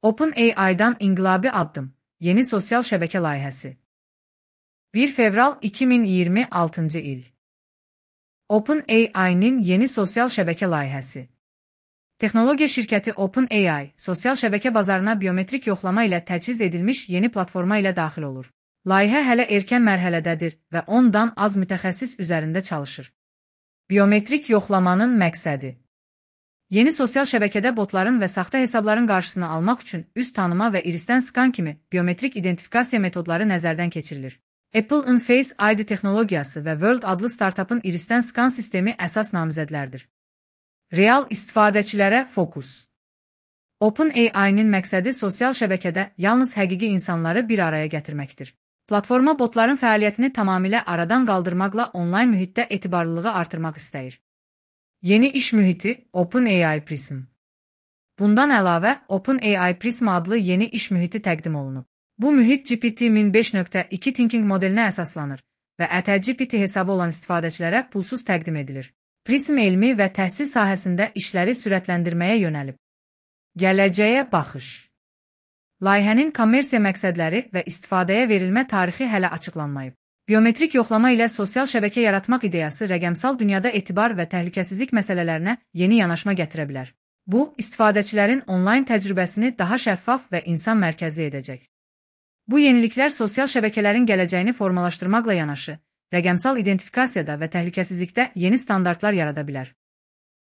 OpenAI-dan inqilabi addım, yeni sosial şəbəkə layihəsi. 1 fevral 2026-cı il. OpenAI-nin yeni sosial şəbəkə layihəsi. Texnologiya şirkəti OpenAI, sosial şəbəkə bazarına biometrik yoxlama ilə təchiz edilmiş yeni platforma ilə daxil olur. Layihə hələ erkən mərhələdədir və 10-dan az mütəxəssis üzərində çalışır. Biometrik yoxlamanın məqsədi. Yeni sosial şəbəkədə botların və saxta hesabların qarşısını almaq üçün üz tanıma və irisdən skan kimi biometrik identifikasiya metodları nəzərdən keçirilir. Apple'ın Face ID texnologiyası və World adlı startupın irisdən skan sistemi əsas namizədlərdir. Real istifadəçilərə fokus. OpenAI-nin məqsədi sosial şəbəkədə yalnız həqiqi insanları bir araya gətirməkdir. Platforma botların fəaliyyətini tamamilə aradan qaldırmaqla onlayn mühitdə etibarlılığı artırmaq istəyir. Yeni iş mühiti OpenAI Prism. Bundan əlavə, OpenAI Prism adlı yeni iş mühiti təqdim olunub. Bu mühit GPT-min 5.2 thinking modelinə əsaslanır və ƏTGPT hesabı olan istifadəçilərə pulsuz təqdim edilir. Prism elmi və təhsil sahəsində işləri sürətləndirməyə yönəlib. Gələcəyə baxış. Layihənin kommersiya məqsədləri və istifadəyə verilmə tarixi hələ açıqlanmayıb. Biometrik yoxlama ilə sosial şəbəkə yaratmaq ideyası rəqəmsal dünyada etibar və təhlükəsizlik məsələlərinə yeni yanaşma gətirə bilər. Bu, istifadəçilərin onlayn təcrübəsini daha şəffaf və insan mərkəzli edəcək. Bu yeniliklər sosial şəbəkələrin gələcəyini formalaşdırmaqla yanaşı, rəqəmsal identifikasiyada və təhlükəsizlikdə yeni standartlar yarada bilər.